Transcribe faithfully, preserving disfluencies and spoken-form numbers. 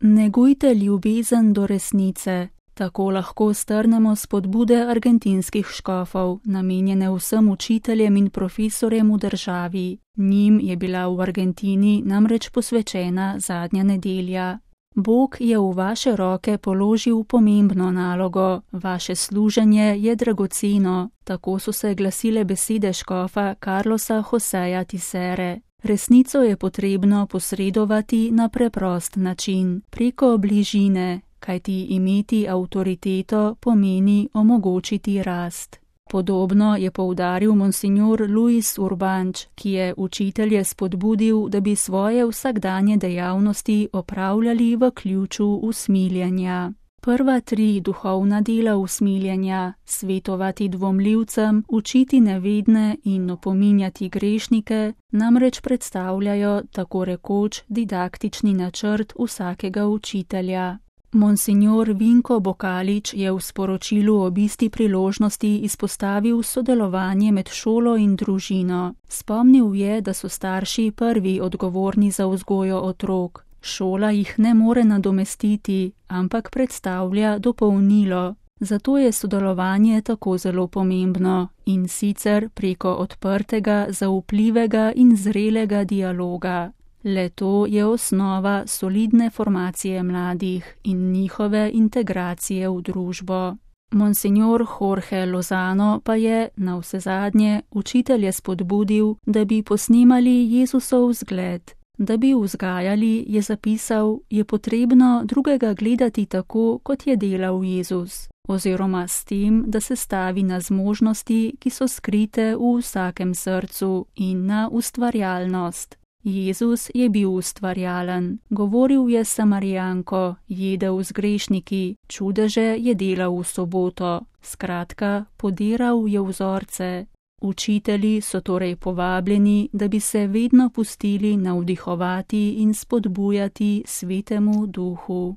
Negujte ljubezen do resnice. Tako lahko strnemo spodbude argentinskih škofov, namenjene vsem učiteljem in profesorjem v državi. Njim je bila v Argentini namreč posvečena zadnja nedelja. Bog je v vaše roke položil pomembno nalogo, vaše služenje je dragoceno, tako so se glasile besede škofa Carlosa Joseja Tisere. Resnico je potrebno posredovati na preprost način, preko bližine, kajti imeti avtoriteto pomeni omogočiti rast. Podobno je poudaril monsignor Luis Urbanč, ki je učitelje spodbudil, da bi svoje vsakdanje dejavnosti opravljali v ključu usmiljenja. Prva tri duhovna dela usmiljenja, svetovati dvomljivcem, učiti nevedne in opominjati grešnike, namreč predstavljajo tako rekoč didaktični načrt vsakega učitelja. Monsignor Vinko Bokalič je v sporočilu ob isti priložnosti izpostavil sodelovanje med šolo in družino. Spomnil je, da so starši prvi odgovorni za vzgojo otrok. Šola jih ne more nadomestiti, ampak predstavlja dopolnilo. Zato je sodelovanje tako zelo pomembno in sicer preko odprtega, zaupljivega in zrelega dialoga. Le to je osnova solidne formacije mladih in njihove integracije v družbo. Monsignor Jorge Lozano pa je, navsezadnje, učitelje spodbudil, da bi posnemali Jezusov zgled. Da bi vzgajali, je zapisal, je potrebno drugega gledati tako, kot je delal Jezus, oziroma s tem, da se stavi na zmožnosti, ki so skrite v vsakem srcu in na ustvarjalnost. Jezus je bil ustvarjalen, govoril je s Samarijanko, jedel z grešniki, čudeže je delal v soboto, skratka, podiral je vzorce. Učitelji so torej povabljeni, da bi se vedno pustili navdihovati in spodbujati Svetemu Duhu.